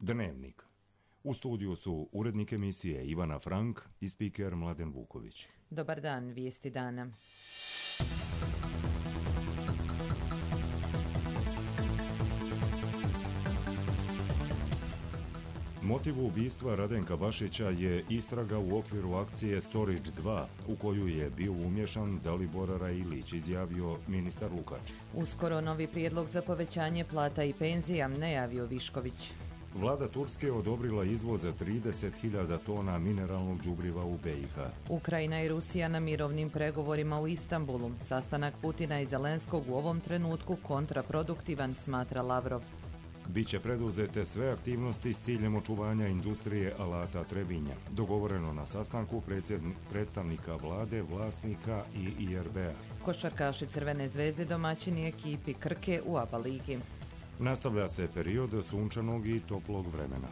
Dnevnik. U studiju su urednik emisije Ivana Frank i spiker Mladen Vuković. Dobar dan, vijesti dana. Motiv ubistva Radenka Bašića je istraga u okviru akcije Storage 2, u koju je bio umješan Dalibor Railić, izjavio ministar Lukač. Uskoro novi prijedlog za povećanje plata i penzija, najavio Višković. Vlada Turske odobrila izvoz 30.000 tona mineralnog đubriva u BiH. Ukrajina i Rusija na mirovnim pregovorima u Istanbulu. Sastanak Putina i Zelenskog u ovom trenutku kontraproduktivan, smatra Lavrov. Biće preduzete sve aktivnosti s ciljem očuvanja industrije alata Trebinja, dogovoreno na sastanku predstavnika vlade, vlasnika i IRB-a. Košarkaši Crvene zvezde domaćini ekipi Krke u ABA ligi. Nastavlja se period sunčanog i toplog vremena.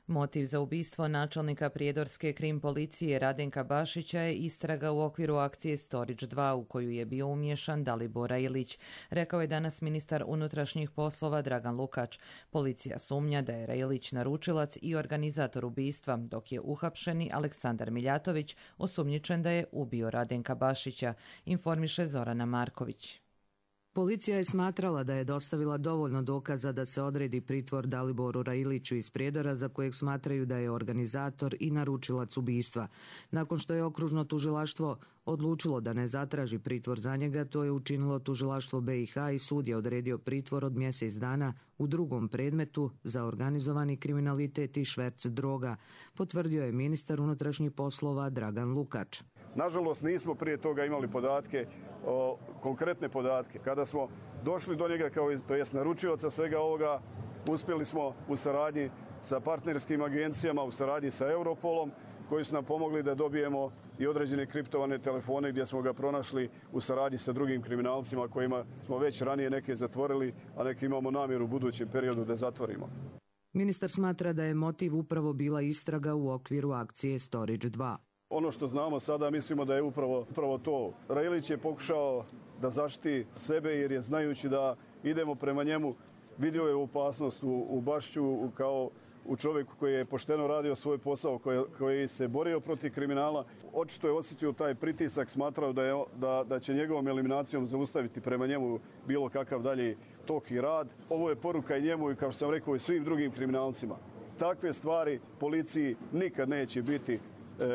Motiv za ubistvo načelnika prijedorske krim policije Radenka Bašića je istraga u okviru akcije Storage 2 u koju je bio umješan Dalibor Railić, rekao je danas ministar unutrašnjih poslova Dragan Lukač. Policija sumnja da je Railić naručilac i organizator ubistva, dok je uhapšeni Aleksandar Miljatović osumnjičen da je ubio Radenka Bašića, informiše Zorana Marković. Policija je smatrala da je dostavila dovoljno dokaza da se odredi pritvor Daliboru Railiću iz Prijedora, za kojeg smatraju da je organizator i naručilac ubistva. Nakon što je okružno tužilaštvo odlučilo da ne zatraži pritvor za njega, to je učinilo tužilaštvo BiH i sud je odredio pritvor od mjesec dana u drugom predmetu za organizovani kriminalitet i šverc droga, potvrdio je ministar unutrašnjih poslova Dragan Lukač. Nažalost, nismo prije toga imali podatke, konkretne podatke. Kada smo došli do njega kao naručioca svega ovoga, uspjeli smo u saradnji sa partnerskim agencijama, u saradnji sa Europolom, koji su nam pomogli da dobijemo i određene kriptovane telefone gdje smo ga pronašli u saradnji sa drugim kriminalcima kojima smo već ranije neke zatvorili, a neke imamo namjeru u budućem periodu da zatvorimo. Ministar smatra da je motiv upravo bila istraga u okviru akcije Storage 2. Ono što znamo sada, mislimo da je upravo to. Railić je pokušao da zaštiti sebe jer je, znajući da idemo prema njemu, vidio je opasnost u Bašiću kao u čovjeku koji je pošteno radio svoj posao, koji se borio protiv kriminala. Očito je osjetio taj pritisak, smatrao da će njegovom eliminacijom zaustaviti prema njemu bilo kakav dalji tok i rad. Ovo je poruka i njemu i, kao što sam rekao, i svim drugim kriminalcima. Takve stvari policiji nikad neće biti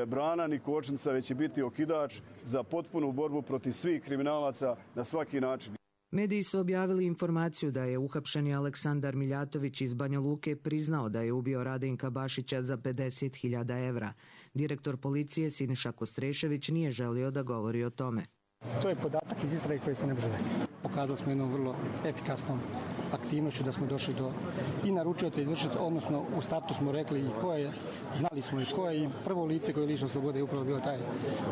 brana ni kočnica, već će biti okidač za potpunu borbu protiv svih kriminalaca na svaki način. Mediji su objavili informaciju da je uhapšeni Aleksandar Miljatović iz Banja Luke priznao da je ubio Radenka Bašića za 50.000 evra. Direktor policije Siniša Kostrešević nije želio da govori o tome. To je podatak iz istrage koji se ne može dati. Pokazali smo jednom vrlo efikasnom aktivnošću da smo došli do i naručioca i izvršioca, odnosno u startu smo rekli i ko je, znali smo i ko je, i prvo lice koje je lišeno slobode je upravo bio taj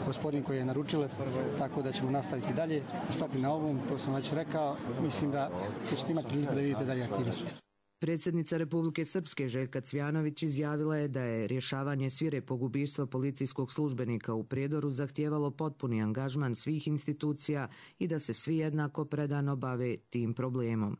gospodin koji je naručilac, tako da ćemo nastaviti dalje, stati na ovom, to sam već rekao, mislim da ćete imati priliku da vidite dalje aktivnosti. Predsjednica Republike Srpske Željka Cvjanović izjavila je da je rješavanje svirepog ubistva policijskog službenika u Prijedoru zahtijevalo potpuni angažman svih institucija i da se svi jednako predano bave tim problemom.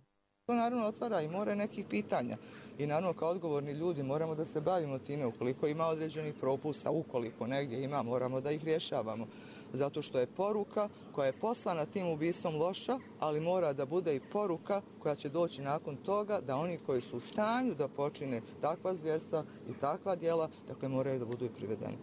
To naravno otvara i more nekih pitanja i naravno kao odgovorni ljudi moramo da se bavimo time. Ukoliko ima određenih propusta, ukoliko negdje ima, moramo da ih rješavamo. Zato što je poruka koja je poslana tim ubistvom loša, ali mora da bude i poruka koja će doći nakon toga da oni koji su u stanju da počine takva zvjerstva i takva djela, dakle moraju da budu i privedeni.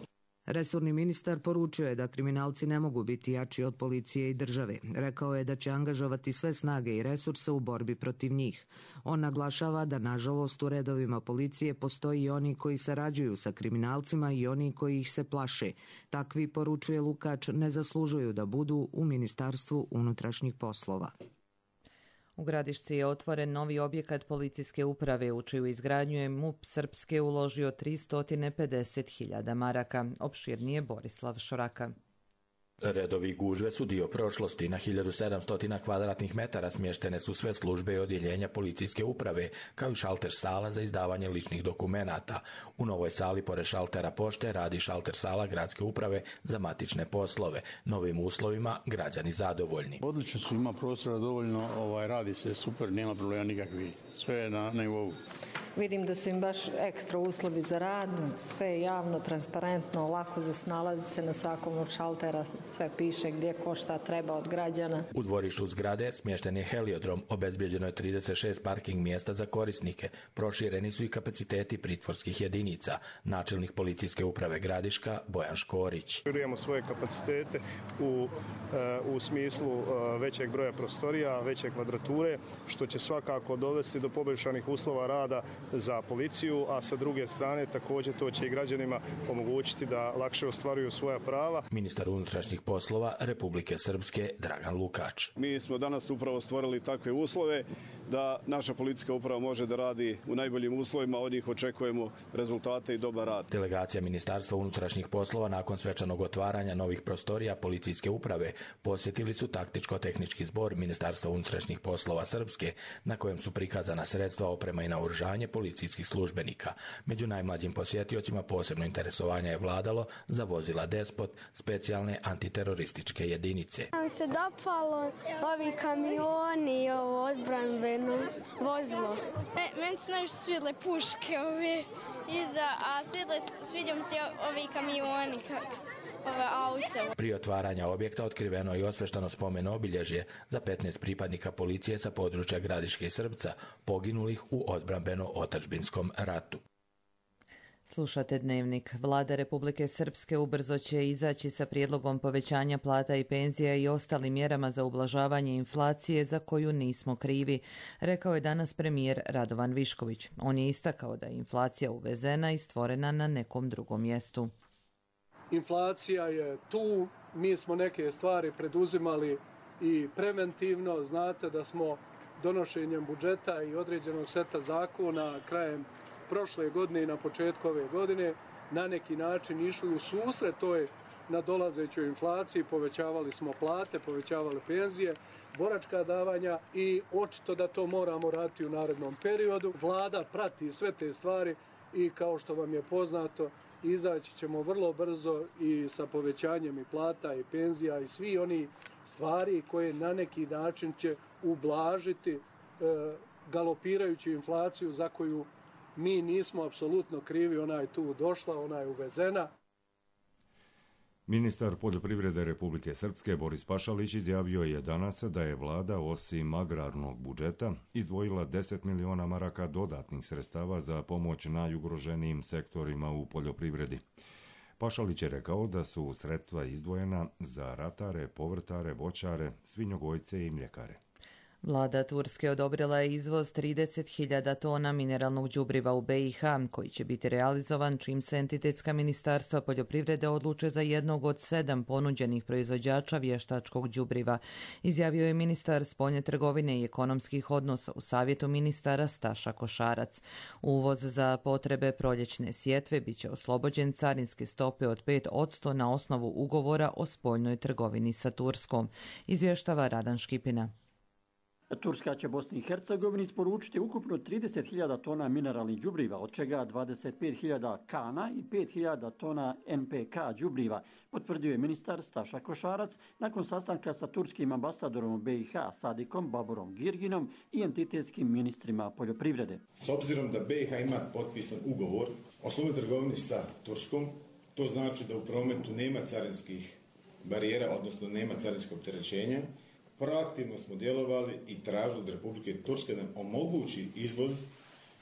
Resorni ministar poručio je da kriminalci ne mogu biti jači od policije i države. Rekao je da će angažovati sve snage i resurse u borbi protiv njih. On naglašava da nažalost u redovima policije postoji i oni koji sarađuju sa kriminalcima i oni koji ih se plaše. Takvi, poručuje Lukač, ne zaslužuju da budu u Ministarstvu unutrašnjih poslova. U Gradišci je otvoren novi objekat policijske uprave u čiju izgradnju je MUP Srpske uložio 350.000 maraka. Opširnije Borislav Šoraka. Redovi gužve su dio prošlosti. Na 1700 kvadratnih metara smještene su sve službe i odjeljenja policijske uprave, kao i šalter sala za izdavanje ličnih dokumenata. U novoj sali pored šaltera pošte radi šalter sala gradske uprave za matične poslove. Novim uslovima građani zadovoljni. Odlično su, ima prostora dovoljno, radi se super, nema problema nikakvih. Sve je na nivou. Vidim da su im baš ekstra uslovi za rad, sve je javno, transparentno, lako za snalaziti se na svakom od šaltera, sve piše gdje ko šta treba od građana. U dvorištu zgrade smješten je heliodrom, obezbjeđeno je 36 parking mjesta za korisnike, prošireni su i kapaciteti pritvorskih jedinica. Načelnik policijske uprave Gradiška Bojan Škorić. Širujemo svoje kapacitete u smislu većeg broja prostorija, veće kvadrature, što će svakako dovesti do poboljšanih uslova rada za policiju, a sa druge strane također to će i građanima omogućiti da lakše ostvaruju svoja prava. Ministar unutrašnjih poslova Republike Srpske Dragan Lukač. Mi smo danas upravo stvorili takve uslove da naša policijska uprava može da radi u najboljim uslovima, od njih očekujemo rezultate i dobar rad. Delegacija Ministarstva unutrašnjih poslova nakon svečanog otvaranja novih prostorija policijske uprave posjetili su taktičko-tehnički zbor Ministarstva unutrašnjih poslova Srpske, na kojem su prikazana sredstva, oprema i naoružanje policijskih službenika. Među najmlađim posjetiocima posebno interesovanje je vladalo za vozila Despot, specijalne antiterorističke jedinice. Nam se dopalo ovi kamioni i ovo odbranbeno vozilo. Meni se najviše svidle puške ove iza, a sviđa mi se ovi kamioni ove auto. Prije otvaranja objekta otkriveno je i osveštano spomen obilježje za 15 pripadnika policije sa područja Gradiške i Srpca, poginulih u odbrambeno-otadžbinskom ratu. Slušate Dnevnik. Vlada Republike Srpske ubrzo će izaći sa prijedlogom povećanja plata i penzija i ostalim mjerama za ublažavanje inflacije za koju nismo krivi, rekao je danas premijer Radovan Višković. On je istakao da je inflacija uvezena i stvorena na nekom drugom mjestu. Inflacija je tu, mi smo neke stvari preduzimali i preventivno. Znate da smo donošenjem budžeta i određenog seta zakona krajem prošle godine i na početku ove godine na neki način išli u susret toj nadolazećoj inflaciji, povećavali smo plate, povećavali penzije, boračka davanja i očito da to moramo raditi u narednom periodu. Vlada prati sve te stvari i kao što vam je poznato, izaći ćemo vrlo brzo i sa povećanjem i plata i penzija i svi oni stvari koje na neki način će ublažiti galopirajuću inflaciju za koju mi nismo apsolutno krivi, ona je tu došla, ona je uvezena. Ministar poljoprivrede Republike Srpske Boris Pašalić izjavio je danas da je vlada osim agrarnog budžeta izdvojila 10 miliona maraka dodatnih sredstava za pomoć najugroženijim sektorima u poljoprivredi. Pašalić je rekao da su sredstva izdvojena za ratare, povrtare, voćare, svinjogojce i mljekare. Vlada Turske odobrila je izvoz 30.000 tona mineralnog đubriva u BiH, koji će biti realizovan čim se entitetska ministarstva poljoprivrede odluče za jednog od 7 ponuđenih proizvođača vještačkog đubriva, izjavio je ministar spoljne trgovine i ekonomskih odnosa u savjetu ministara Staša Košarac. Uvoz za potrebe proljećne sjetve biće oslobođen carinske stope od 5% na osnovu ugovora o spoljnoj trgovini sa Turskom, izvještava Radan Škipina. Turska će Bosni i Hercegovini isporučiti ukupno 30.000 tona mineralnih đubriva, od čega 25.000 kana i 5.000 tona NPK đubriva, potvrdio je ministar Staša Košarac nakon sastanka sa turskim ambasadorom u BiH Sadikom Baburom Girginom i entitetskim ministrima poljoprivrede. S obzirom da BiH ima potpisan ugovor o slobodnoj trgovini sa Turskom, to znači da u prometu nema carinskih barijera, odnosno nema carinskog opterećenja. Proaktivno smo djelovali i tražili od Republike Turske da nam omogući izvoz,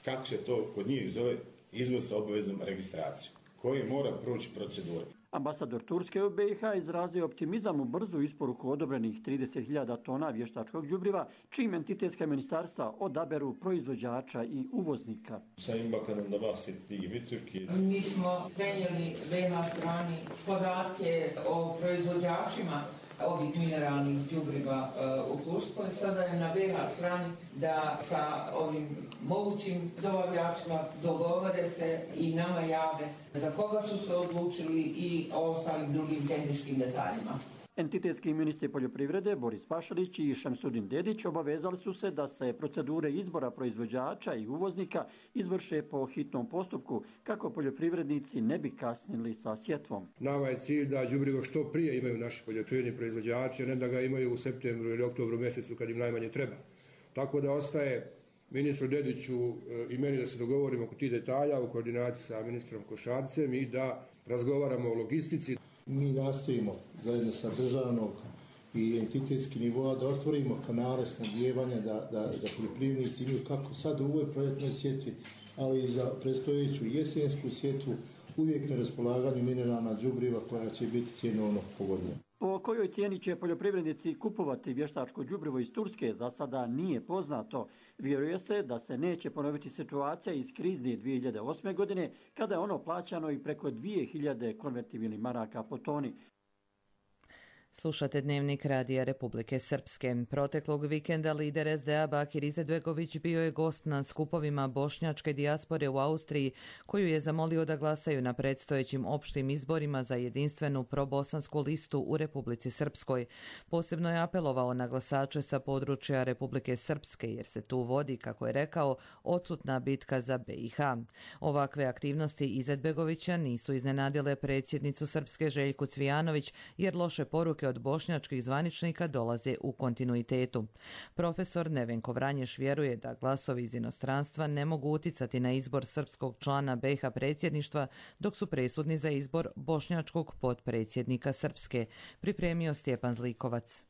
kako se to kod njih zove, izvoz sa obaveznom registracijom, koji mora proći procedure. Ambasador Turske u BiH izrazio optimizam u brzu isporuku odobrenih 30.000 tona vještačkog đubriva, čim entitetska ministarstva odaberu proizvođača i uvoznika. Mi smo prenijeli BiH strani podatke o proizvođačima ovih mineralnih đubriva u Turskoj. Sada je na BiH strani da sa ovim mogućim dobavljačima dogovore se i nama jave za koga su se odlučili i o ostalim drugim tehničkim detaljima. Entitetski ministri poljoprivrede Boris Pašalić i Šemsudin Dedić obavezali su se da se procedure izbora proizvođača i uvoznika izvrše po hitnom postupku kako poljoprivrednici ne bi kasnili sa sjetvom. Nama je cilj da đubrivo što prije imaju naši poljoprivredni proizvođači, a ne da ga imaju u septembru ili oktobru mjesecu kad im najmanje treba. Tako da ostaje ministru Dediću i meni da se dogovorimo oko tih detalja u koordinaciji sa ministrom Košarcem i da razgovaramo o logistici. Mi nastojimo zajedno sa državnog i entitetskih nivoa da otvorimo kanale snabdijevanja, da poljoprivrednici imaju kako sad u ovoj proljetnoj sjetvi, ali i za predstojeću jesensku sjetvu uvijek na raspolaganju mineralna đubriva koja će biti cjenovno pogodnija. Po kojoj cijeni će poljoprivrednici kupovati vještačko đubrivo iz Turske za sada nije poznato. Vjeruje se da se neće ponoviti situacija iz krizne 2008. godine kada je ono plaćano i preko 2000 konvertibilnih maraka po toni. Slušate Dnevnik Radija Republike Srpske. Proteklog vikenda lider SDA Bakir Izetbegović bio je gost na skupovima bošnjačke dijaspore u Austriji, koju je zamolio da glasaju na predstojećim opštim izborima za jedinstvenu probosansku listu u Republici Srpskoj. Posebno je apelovao na glasače sa područja Republike Srpske, jer se tu vodi, kako je rekao, odsutna bitka za BiH. Ovakve aktivnosti Izetbegovića nisu iznenadile predsjednicu Srpske Željku Cvijanović, jer loše poruke od bošnjačkih zvaničnika dolaze u kontinuitetu. Profesor Nevenko Vranješ vjeruje da glasovi iz inostranstva ne mogu uticati na izbor srpskog člana BiH predsjedništva, dok su presudni za izbor bošnjačkog potpredsjednika Srpske, pripremio Stjepan Zlikovac.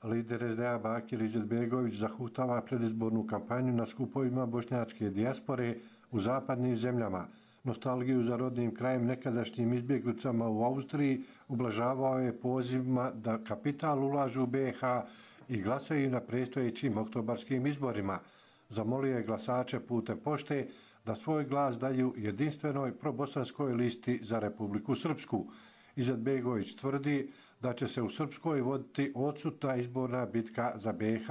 Lider SDA Bakir Izetbegović zahutava predizbornu kampanju na skupovima bošnjačke dijaspore u zapadnim zemljama. Nostalgiju za rodnim krajem nekadašnjim izbjeglicama u Austriji ublažavao je pozivima da kapital ulažu u BiH i glasaju na predstojećim oktobarskim izborima. Zamolio je glasače putem pošte da svoj glas daju jedinstvenoj probosanskoj listi za Republiku Srpsku. Izetbegović tvrdi da će se u Srpskoj voditi odsutna izborna bitka za BiH.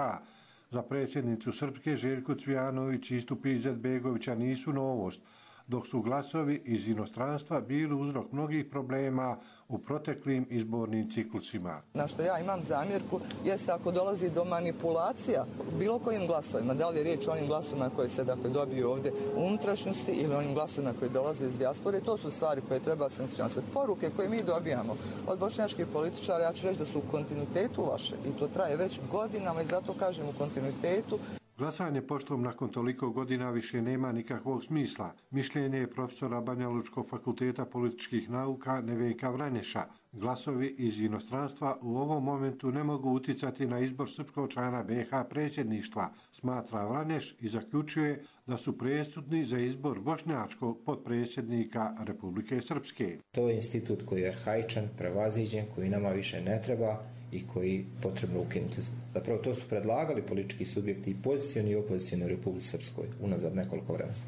Za predsjednicu Srpske Željku Cvijanović istupi Izetbegovića nisu novost, dok su glasovi iz inostranstva bili uzrok mnogih problema u proteklim izbornim ciklusima. Na što ja imam zamjerku jeste ako dolazi do manipulacija bilo kojim glasovima, da li je riječ o onim glasovima koje se dobiju ovdje u unutrašnjosti ili onim glasovima koje dolaze iz dijaspore, to su stvari koje treba sankcionirati. Poruke koje mi dobijamo od bošnjačkih političara, ja ću reći da su u kontinuitetu loše i to traje već godinama i zato kažem u kontinuitetu. Glasanje poštom nakon toliko godina više nema nikakvog smisla. Mišljenje je profesora Banjalučkog fakulteta političkih nauka Nevenka Vranješa. Glasovi iz inostranstva u ovom momentu ne mogu uticati na izbor srpskog člana BiH predsjedništva, smatra Vranješ i zaključuje da su presudni za izbor bošnjačkog potpredsjednika Republike Srpske. To je institut koji je arhaičan, prevaziđen, koji nama više ne treba i koji potrebno ukinuti. Zapravo to su predlagali politički subjekti i pozicioni i opozicioni u Republici Srpskoj unazad nekoliko vremena.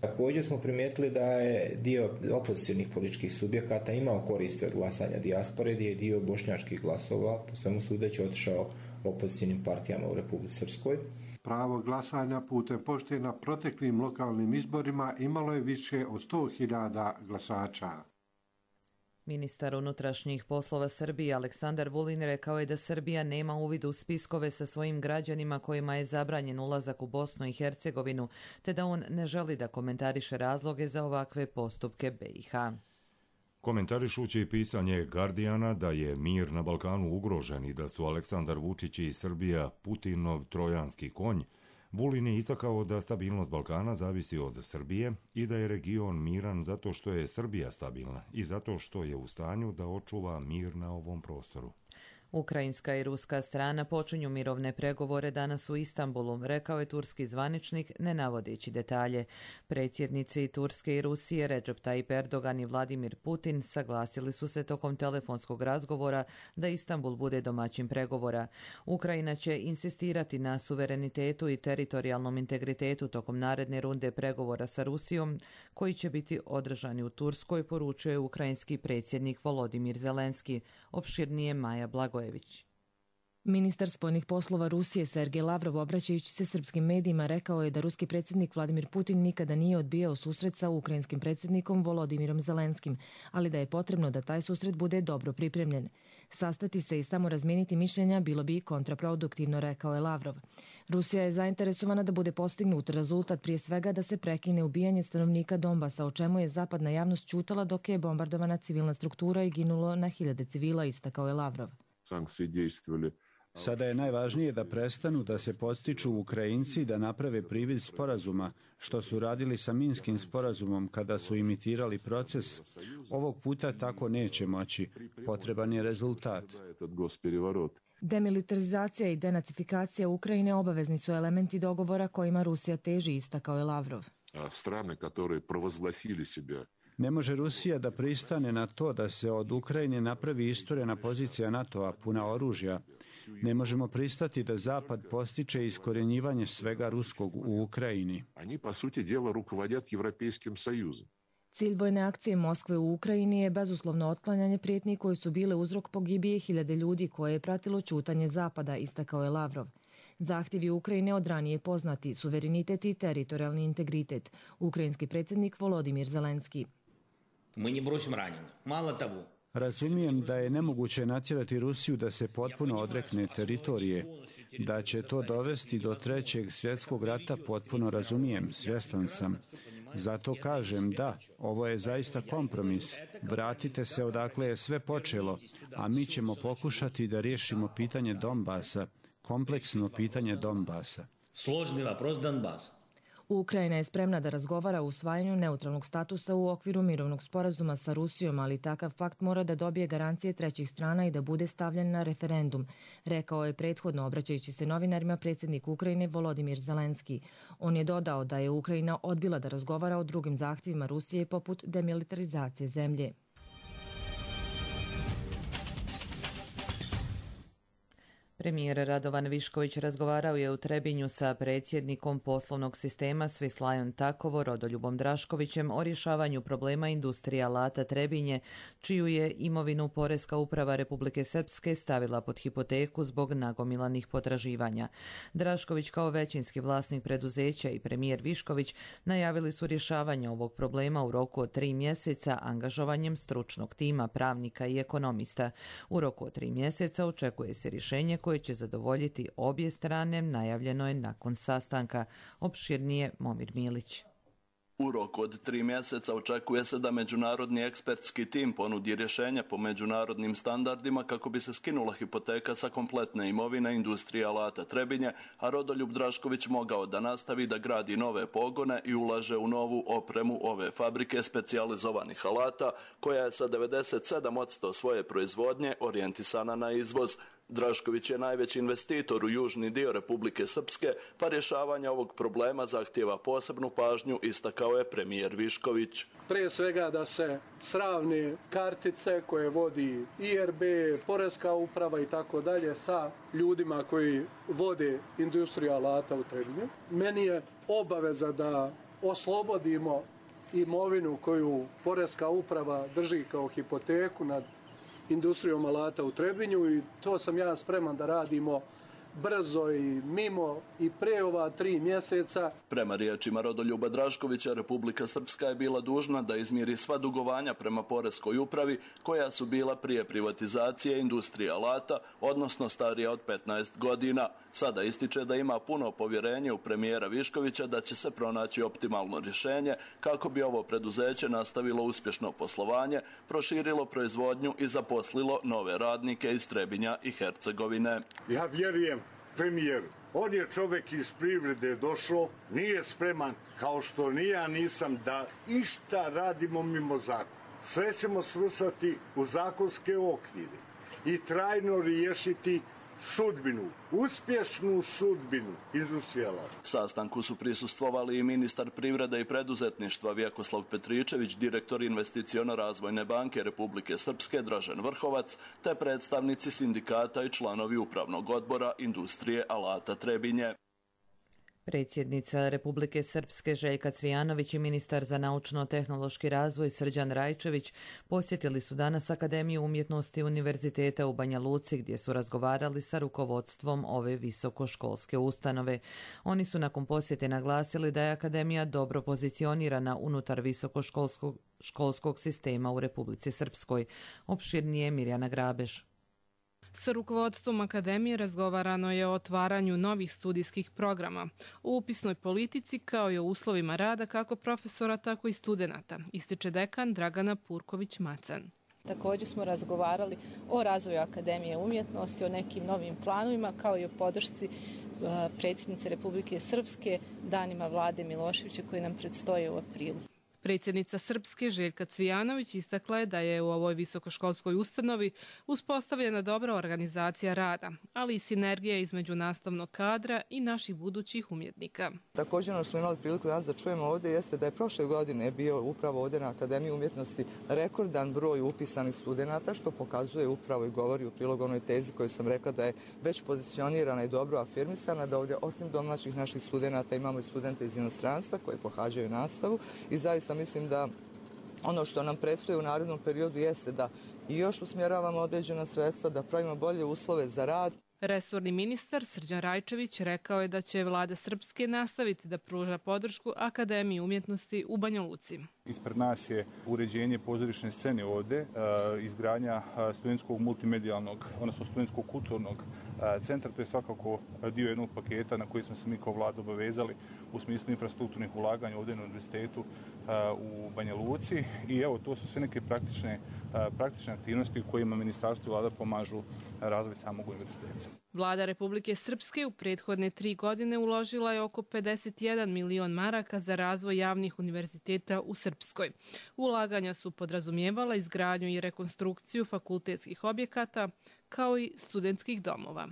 Također smo primijetili da je dio opozicionih političkih subjekata imao koristi od glasanja dijaspore, gdje je dio bošnjačkih glasova po svemu sudeći otišao opozicionim partijama u Republici Srpskoj. Pravo glasanja putem pošte na proteklim lokalnim izborima imalo je više od 100.000 glasača. Ministar unutrašnjih poslova Srbije Aleksandar Vulin rekao je da Srbija nema uvid u spiskove sa svojim građanima kojima je zabranjen ulazak u Bosnu i Hercegovinu, te da on ne želi da komentariše razloge za ovakve postupke BiH. Komentarišući pisanje Guardiana da je mir na Balkanu ugrožen i da su Aleksandar Vučić i Srbija Putinov trojanski konj, Vulin je istakao da stabilnost Balkana zavisi od Srbije i da je region miran zato što je Srbija stabilna i zato što je u stanju da očuva mir na ovom prostoru. Ukrajinska i ruska strana počinju mirovne pregovore danas u Istanbulu, rekao je turski zvaničnik, ne navodeći detalje. Predsjednici Turske i Rusije Recep Tayyip Erdogan i Vladimir Putin saglasili su se tokom telefonskog razgovora da Istanbul bude domaćin pregovora. Ukrajina će insistirati na suverenitetu i teritorijalnom integritetu tokom naredne runde pregovora sa Rusijom, koji će biti održani u Turskoj, poručuje ukrajinski predsjednik Volodimir Zelenski, opširnije Maja Blagojević. Ministar spoljnih poslova Rusije Sergej Lavrov, obraćajući se srpskim medijima, rekao je da ruski predsjednik Vladimir Putin nikada nije odbijao susret sa ukrajinskim predsjednikom Volodimirom Zelenskim, ali da je potrebno da taj susret bude dobro pripremljen. Sastati se i samo razmijeniti mišljenja bilo bi kontraproduktivno, rekao je Lavrov. Rusija je zainteresovana da bude postignut rezultat, prije svega da se prekine ubijanje stanovnika Donbasa, o čemu je zapadna javnost ćutala dok je bombardovana civilna struktura i ginulo na hiljade civila, istakao je Lavrov. Sada je najvažnije da prestanu da se podstiču Ukrajinci da naprave privid sporazuma, što su radili sa Minskim sporazumom kada su imitirali proces. Ovog puta tako neće moći. Potreban je rezultat. Demilitarizacija i denacifikacija Ukrajine obavezni su elementi dogovora kojima Rusija teži, istakao je Lavrov. Ne može Rusija da pristane na to da se od Ukrajine napravi isturena pozicija NATO-a puna oružja. Ne možemo pristati da Zapad postiče iskorjenjivanje svega ruskog u Ukrajini. Cilj vojne akcije Moskve u Ukrajini je bezuslovno otklanjanje prijetnji koje su bile uzrok pogibije hiljade ljudi koje je pratilo ćutanje Zapada, istakao je Lavrov. Zahtjevi Ukrajine od ranije poznati, suverenitet i teritorijalni integritet. Ukrajinski predsjednik Volodimir Zelenski. Razumijem da je nemoguće natjerati Rusiju da se potpuno odrekne teritorije. Da će to dovesti do Trećeg svjetskog rata potpuno razumijem, svjestan sam. Zato kažem da, ovo je zaista kompromis. Vratite se odakle je sve počelo, a mi ćemo pokušati da riješimo pitanje Donbasa, kompleksno pitanje Donbasa. Složni vapros Donbasa. Ukrajina je spremna da razgovara o usvajanju neutralnog statusa u okviru mirovnog sporazuma sa Rusijom, ali takav pakt mora da dobije garancije trećih strana i da bude stavljen na referendum, rekao je prethodno obraćajući se novinarima predsjednik Ukrajine Volodimir Zelenski. On je dodao da je Ukrajina odbila da razgovara o drugim zahtjevima Rusije poput demilitarizacije zemlje. Premijer Radovan Višković razgovarao je u Trebinju sa predsjednikom poslovnog sistema Swiss Lion Takovo Rodoljubom Draškovićem o rješavanju problema industrije alata Trebinje, čiju je imovinu Poreska uprava Republike Srpske stavila pod hipoteku zbog nagomilanih potraživanja. Drašković kao većinski vlasnik preduzeća i premijer Višković najavili su rješavanje ovog problema u roku od 3 mjeseca angažovanjem stručnog tima, pravnika i ekonomista. U roku od 3 mjeseca očekuje se rješenje koje će zadovoljiti obje strane, najavljeno je nakon sastanka. Opširnije Momir Milić. U roku od 3 mjeseca očekuje se da međunarodni ekspertski tim ponudi rješenje po međunarodnim standardima kako bi se skinula hipoteka sa kompletne imovine industrije alata Trebinje, a Rodoljub Drašković mogao da nastavi da gradi nove pogone i ulaže u novu opremu ove fabrike specijalizovanih alata, koja je sa 97% svoje proizvodnje orijentisana na izvoz. Drašković je najveći investitor u južni dio Republike Srpske, pa rješavanje ovog problema zahtijeva posebnu pažnju, istakao je premijer Višković. Prije svega da se sravne kartice koje vodi IRB, Poreska uprava i tako dalje sa ljudima koji vode industriju alata u Trebinju. Meni je obaveza da oslobodimo imovinu koju Poreska uprava drži kao hipoteku nad industrijom alata u Trebinju i to sam ja spreman da radimo brzo i mimo i pre ova 3 mjeseca. Prema riječima Rodoljuba Draškovića, Republika Srpska je bila dužna da izmiri sva dugovanja prema Poreskoj upravi koja su bila prije privatizacije industrije alata, odnosno starija od 15 godina. Sada ističe da ima puno povjerenje u premijera Viškovića da će se pronaći optimalno rješenje kako bi ovo preduzeće nastavilo uspješno poslovanje, proširilo proizvodnju i zaposlilo nove radnike iz Trebinja i Hercegovine. Ja vjerujem premijeru. On je čovjek iz privrede došao, nije spreman, kao što ni ja nisam, da išta radimo mimo zakona. Sve ćemo svrstati u zakonske okvire i trajno riješiti sudbinu, uspješnu sudbinu industrije alata. Sastanku su prisustvovali i ministar privrede i preduzetništva Vjekoslav Petričević, direktor Investiciono-razvojne banke Republike Srpske Dražen Vrhovac, te predstavnici sindikata i članovi upravnog odbora industrije alata Trebinje. Predsjednica Republike Srpske Željka Cvijanović i ministar za naučno-tehnološki razvoj Srđan Rajčević posjetili su danas Akademiju umjetnosti Univerziteta u Banja Luci gdje su razgovarali sa rukovodstvom ove visokoškolske ustanove. Oni su nakon posjete naglasili da je Akademija dobro pozicionirana unutar visokoškolskog sistema u Republici Srpskoj. Opširnije Mirjana Grabeš. Sa rukovodstvom Akademije razgovarano je o otvaranju novih studijskih programa, o upisnoj politici kao i o uslovima rada kako profesora, tako i studenata, ističe dekan Dragana Purković-Macan. Također smo razgovarali o razvoju Akademije umjetnosti, o nekim novim planovima, kao i o podršci predsjednice Republike Srpske danima Vlade Miloševića koji nam predstoje u aprilu. Predsjednica Srpske Željka Cvijanović istakla je da je u ovoj visokoškolskoj ustanovi uspostavljena dobra organizacija rada, ali i sinergija između nastavnog kadra i naših budućih umjetnika. Također ono što smo imali priliku danas da čujemo ovdje jeste da je prošle godine bio upravo ovdje na Akademiji umjetnosti rekordan broj upisanih studenata, što pokazuje upravo i govori u prilog onoj tezi koju sam rekla da je već pozicionirana i dobro afirmisana, da ovdje osim domaćih naših studenata imamo i studente iz inostranstva koji pohađaju nastavu i zaista mislim da ono što nam predstoji u narednom periodu jeste da i još usmjeravamo određena sredstva, da pravimo bolje uslove za rad. Resorni ministar Srđan Rajčević rekao je da će vlada Srpske nastaviti da pruža podršku Akademiji umjetnosti u Banja Luci. Ispred nas je uređenje pozorišne scene ovdje, izgradnja studentskog multimedijalnog, odnosno studentskog kulturnog centra. To je svakako dio jednog paketa na koji smo se mi kao vlada obavezali u smislu infrastrukturnih ulaganja ovdje na univerzitetu u Banja Luci. I evo, to su sve neke praktične aktivnosti u kojima ministarstvo i vlada pomažu razvoj samog univerziteta. Vlada Republike Srpske u prethodne 3 godine uložila je oko 51 milion maraka za razvoj javnih univerziteta u Srpskoj. Ulaganja su podrazumijevala izgradnju i rekonstrukciju fakultetskih objekata kao i studentskih domova.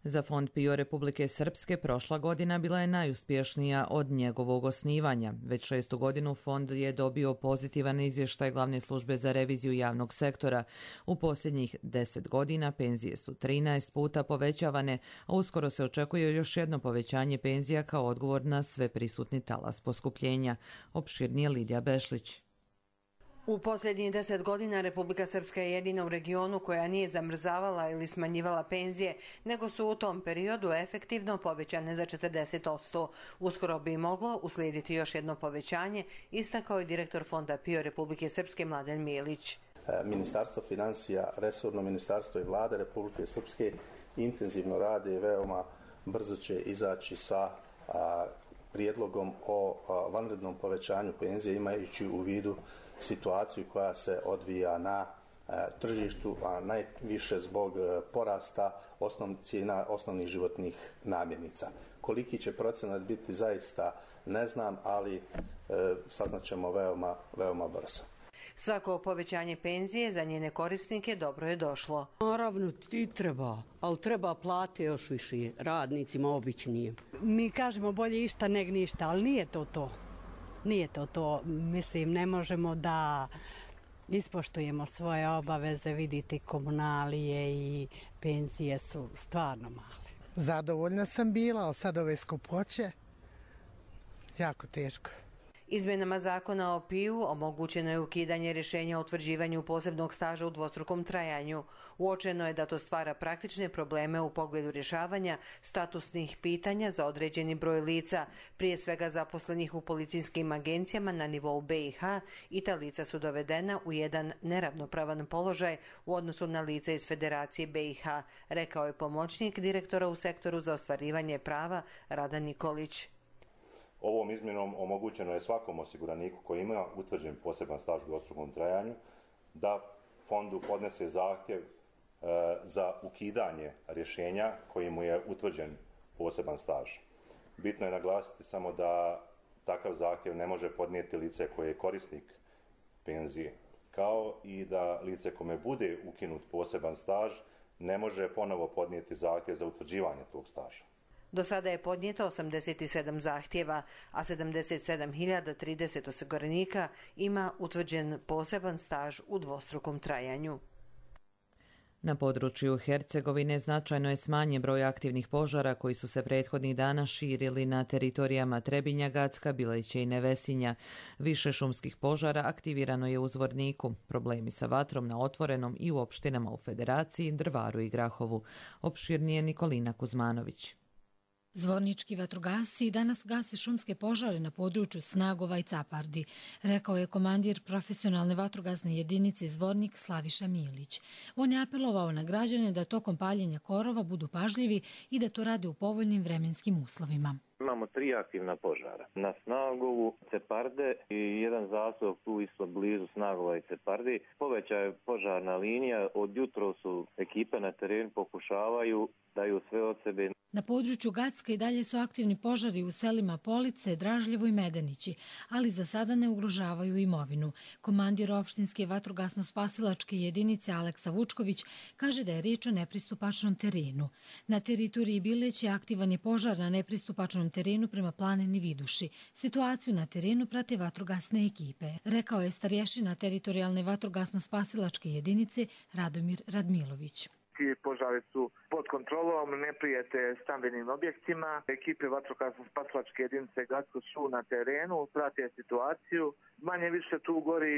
Za Fond PIO Republike Srpske prošla godina bila je najuspješnija od njegovog osnivanja. Već 6. godinu fond je dobio pozitivan izvještaj Glavne službe za reviziju javnog sektora. U posljednjih 10 godina penzije su 13 puta povećavane, a uskoro se očekuje još jedno povećanje penzija kao odgovor na sve prisutni talas poskupljenja. Opširnije Lidija Bešlić. U posljednjih 10 godina Republika Srpska je jedina u regionu koja nije zamrzavala ili smanjivala penzije, nego su u tom periodu efektivno povećane za 40%. Uskoro bi moglo uslijediti još jedno povećanje, istakao je direktor Fonda PIO Republike Srpske Mladen Milić. Ministarstvo financija, resorno ministarstvo i vlade Republike Srpske intenzivno rade i veoma brzo će izaći sa prijedlogom o vanrednom povećanju penzije, imajući u vidu situaciju koja se odvija na tržištu, a najviše zbog porasta cijena osnovnih životnih namirnica. Koliki će procenat biti zaista ne znam, ali saznaćemo veoma brzo. Svako povećanje penzije za njene korisnike dobro je došlo. Naravno ti treba, ali treba plate još više radnicima običnijim. Mi kažemo bolje išta nego ništa, ali nije to to. Nije to to. Mislim, ne možemo da ispoštujemo svoje obaveze, vidite komunalije i penzije su stvarno male. Zadovoljna sam bila, ali sad ove skupoće jako teško. Izmjenama zakona o PIO omogućeno je ukidanje rješenja o utvrđivanju posebnog staža u dvostrukom trajanju. Uočeno je da to stvara praktične probleme u pogledu rješavanja statusnih pitanja za određeni broj lica, prije svega zaposlenih u policijskim agencijama na nivou BiH, i ta lica su dovedena u jedan neravnopravan položaj u odnosu na lica iz Federacije BiH, rekao je pomoćnik direktora u sektoru za ostvarivanje prava Rada Nikolić. Ovom izmjenom omogućeno je svakom osiguraniku koji ima utvrđen poseban staž u dvostrukom trajanju da fondu podnese zahtjev za ukidanje rješenja koji mu je utvrđen poseban staž. Bitno je naglasiti samo da takav zahtjev ne može podnijeti lice koje je korisnik penzije, kao i da lice kome bude ukinut poseban staž ne može ponovo podnijeti zahtjev za utvrđivanje tog staža. Do sada je podnijeto 87 zahtjeva, a 77.030 osiguranika ima utvrđen poseban staž u dvostrukom trajanju. Na području Hercegovine značajno je smanjen broj aktivnih požara koji su se prethodnih dana širili na teritorijama Trebinja, Gacka, Bileća i Nevesinja. Više šumskih požara aktivirano je u Zvorniku. Problemi sa vatrom na otvorenom i u opštinama u Federaciji, Drvaru i Grahovu. Opširnije Nikolina Kuzmanović. Zvornički vatrogasci danas gase šumske požare na području Snagova i Capardi, rekao je komandir profesionalne vatrogasne jedinice Zvornik Slaviša Milić. On je apelovao na građane da tokom paljenja korova budu pažljivi i da to rade u povoljnim vremenskim uslovima. Imamo 3 aktivna požara. Na Snagovu, Ceparde i jedan zasov tu isto blizu Snagova i Cepardi. Poveća je požarna linija. Od jutro su ekipe na terenu pokušavaju, daju sve od sebe. Na području Gacka i dalje su aktivni požari u selima Police, Dražljevo i Medenići, ali za sada ne ugrožavaju imovinu. Komandir opštinske vatrogasno-spasilačke jedinice Aleksa Vučković kaže da je riječ o nepristupačnom terenu. Na teritoriji Bileća aktivan je požar na nepristupačnom terenu prema planini Viduši. Situaciju na terenu prate vatrogasne ekipe, rekao je starješina teritorijalne vatrogasno-spasilačke jedinice Radomir Radmilović. Ti požari su pod kontrolom, ne prijete stambenim objektima. Ekipe vatrogasno-spasilačke jedinice Gacko su na terenu, prate situaciju. Manje više tu gori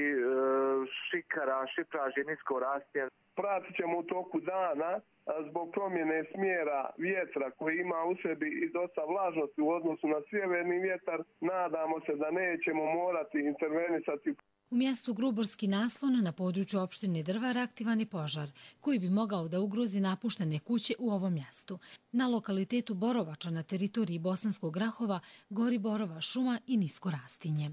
šikara, šipraže, nisko rastje. Pratit ćemo u toku dana zbog promjene smjera vjetra koji ima u sebi i dosta vlažnosti u odnosu na sjeverni vjetar. Nadamo se da nećemo morati intervenisati. U mjestu Gruborski naslon na području opštine Drvar aktivan je požar koji bi mogao da ugrozi napuštene kuće u ovom mjestu. Na lokalitetu Borovača na teritoriji Bosanskog Grahova gori borova šuma i nisko rastinje.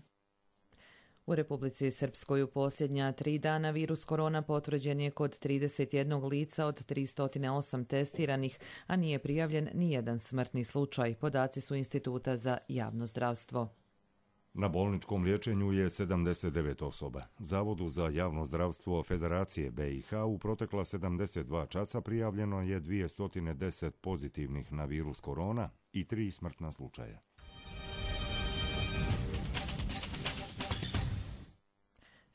U Republici Srpskoj u posljednja 3 dana virus korona potvrđen je kod 31 lica od 308 testiranih, a nije prijavljen ni jedan smrtni slučaj. Podaci su Instituta za javno zdravstvo. Na bolničkom liječenju je 79 osoba. Zavodu za javno zdravstvo Federacije BiH u protekla 72 časa prijavljeno je 210 pozitivnih na virus korona i 3 smrtna slučaja.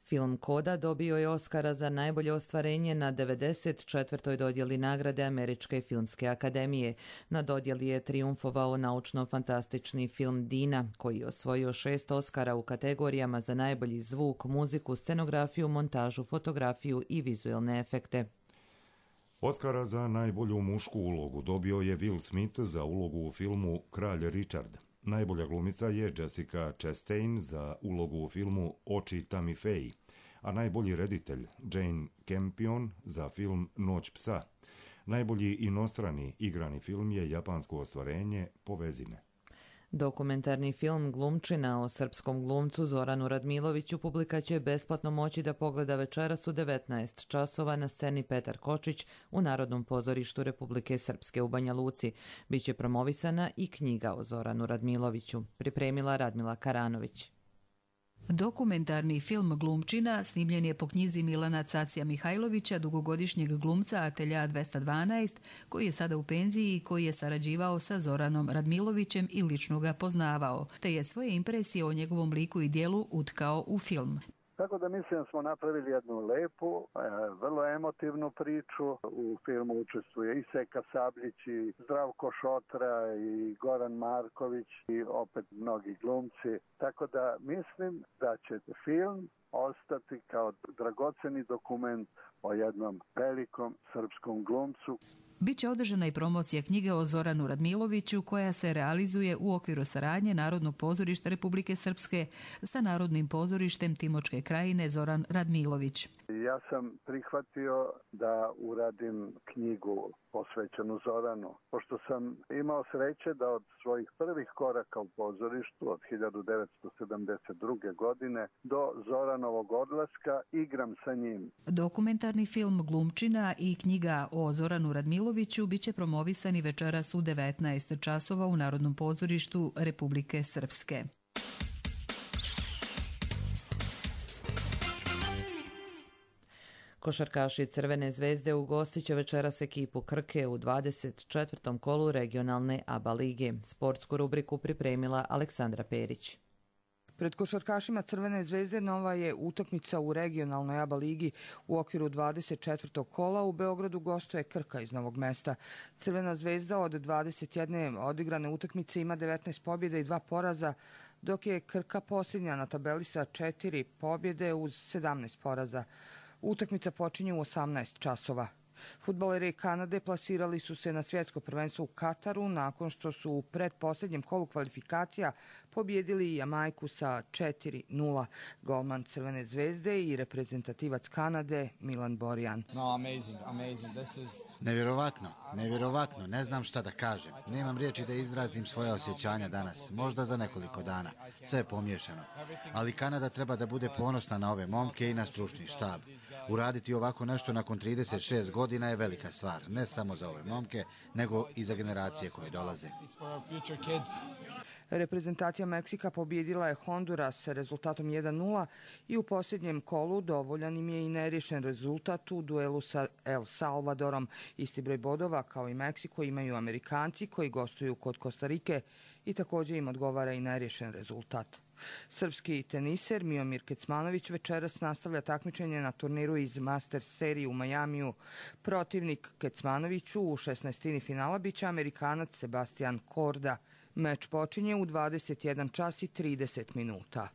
Film Koda dobio je Oskara za najbolje ostvarenje na 94. dodjeli nagrade Američke filmske akademije. Na dodjeli je trijumfovao naučno-fantastični film Dina, koji je osvojio 6 Oskara u kategorijama za najbolji zvuk, muziku, scenografiju, montažu, fotografiju i vizuelne efekte. Oskara za najbolju mušku ulogu dobio je Will Smith za ulogu u filmu Kralj Richard. Najbolja glumica je Jessica Chastain za ulogu u filmu Oči Tammy Faye, a najbolji reditelj Jane Campion za film Noć psa. Najbolji inostrani igrani film je japansko ostvarenje Povezi me. Dokumentarni film Glumčina o srpskom glumcu Zoranu Radmiloviću publika će besplatno moći da pogleda večeras u 19 časova na sceni Petar Kočić u Narodnom pozorištu Republike Srpske u Banja Luci. Biće promovisana i knjiga o Zoranu Radmiloviću. Pripremila Radmila Karanović. Dokumentarni film Glumčina snimljen je po knjizi Milana Cacija Mihajlovića, dugogodišnjeg glumca Atelja 212, koji je sada u penziji i koji je sarađivao sa Zoranom Radmilovićem i lično ga poznavao, te je svoje impresije o njegovom liku i dijelu utkao u film. Tako da mislim da smo napravili jednu lepu, vrlo emotivnu priču. U filmu učestvuje i Seka Sabljić, i Zdravko Šotra, i Goran Marković, i opet mnogi glumci. Tako da mislim da će film ostati kao dragoceni dokument o jednom velikom srpskom glumcu. Biće održana i promocija knjige o Zoranu Radmiloviću koja se realizuje u okviru saradnje Narodnog pozorišta Republike Srpske sa Narodnim pozorištem Timočke krajine Zoran Radmilović. Ja sam prihvatio da uradim knjigu posvećenu Zoranu, pošto sam imao sreće da od svojih prvih koraka u pozorištu od 1972. godine do Zoranovog odlaska igram sa njim. Dokumentarni film Glumčina i knjiga o Zoranu Radmiloviću biće promovisani večeras u 19 časova u Narodnom pozorištu Republike Srpske. Košarkaši Crvene zvezde ugostit će večeras ekipu Krke u 24. kolu regionalne ABA lige. Sportsku rubriku pripremila Aleksandra Perić. Pred košarkašima Crvene zvezde nova je utakmica u regionalnoj ABA ligi u okviru 24. kola. U Beogradu gostuje Krka iz Novog Mesta. Crvena zvezda od 21 odigrane utakmice ima 19 pobjeda i 2 poraza, dok je Krka posljednja na tabeli sa 4 pobjede uz 17 poraza. Utakmica počinje u 18 časova. Fudbaleri Kanade plasirali su se na svjetsko prvenstvo u Kataru nakon što su u predposljednjem kolu kvalifikacija pobjedili Jamajku sa 4-0. Golman Crvene zvezde i reprezentativac Kanade Milan Borjan. Nevjerovatno, ne znam šta da kažem. Nemam riječi da izrazim svoje osjećanja danas, možda za nekoliko dana. Sve je pomiješano. Ali Kanada treba da bude ponosna na ove momke i na stručni štab. Uraditi ovako nešto nakon 36 godina je velika stvar, ne samo za ove momke, nego i za generacije koje dolaze. Reprezentacija Meksika pobjedila je Honduras sa rezultatom 1-0 i u posljednjem kolu dovoljan im je i neriješen rezultat u duelu sa El Salvadorom. Isti broj bodova kao i Meksiko imaju Amerikanci koji gostuju kod Kostarike i također im odgovara i neriješen rezultat. Srpski teniser Miomir Kecmanović večeras nastavlja takmičenje na turniru iz Masters serije u Majamiju. Protivnik Kecmanoviću u 16. finala biće Amerikanac Sebastian Korda. Meč počinje u 21 čas i 30 minuta.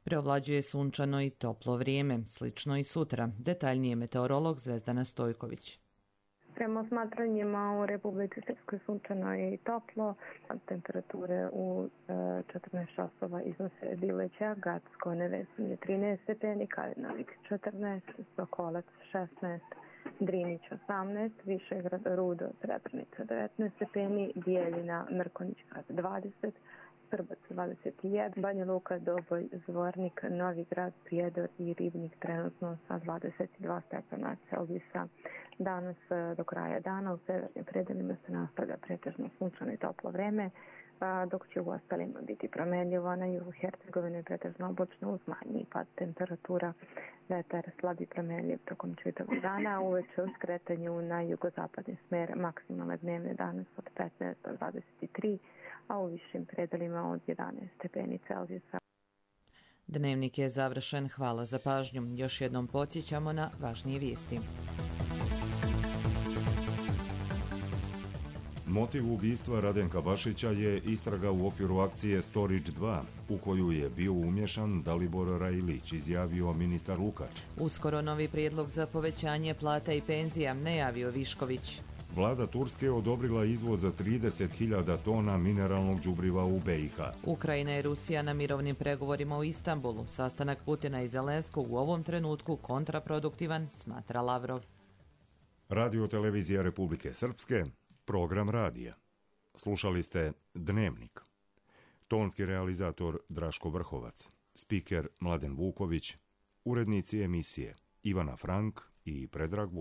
Preovlađuje sunčano i toplo vrijeme, slično i sutra. Detaljnije meteorolog Zvezdana Stojković. Prema osmatranjima u Republici Srpskoj sunčano i toplo, temperature u 14 časova iznose Bileća, Gacko, Nevesinje 13 stepeni, Kalinavik 14, Sokolac 16, Drinić 18, Višegrad, Rudo, Srebrenica 19 stepeni, Bijeljina, Mrkonić 20, Srbac 21, Banja Luka, Doboj, Zvornik, Novigrad, Prijedor i Ribnik trenutno sa 22 stepena Celzijusa. Danas do kraja dana u severnim predelima se nastavlja pretežno sunčano i toplo vreme, dok će u ostalima biti promenljivo. Na jugu Hercegovine pretežno oblačno uz manji pad temperatura, vetar slabi promenljiv tokom čitavog dana, uveče u skretanju na jugozapadni smer maksimalne dnevne danas od 15 do 23, a u višim predelima od 11 stepeni Celzijusa. Dnevnik je završen. Hvala za pažnju. Još jednom podsjećamo na važnije vijesti. Motiv ubistva Radenka Bašića je istraga u okviru akcije Storage 2, u koju je bio umješan Dalibor Rajilić, izjavio ministar Lukač. Uskoro novi prijedlog za povećanje plata i penzija, najavio Višković. Vlada Turske odobrila izvoz za 30.000 tona mineralnog đubriva u BiH. Ukrajina i Rusija na mirovnim pregovorima u Istanbulu. Sastanak Putina i Zelenskog u ovom trenutku kontraproduktivan, smatra Lavrov. Radio televizija Republike Srpske, program radija. Slušali ste Dnevnik. Tonski realizator Draško Vrhovac, spiker Mladen Vuković, urednici emisije Ivana Frank i Predrag Vuković.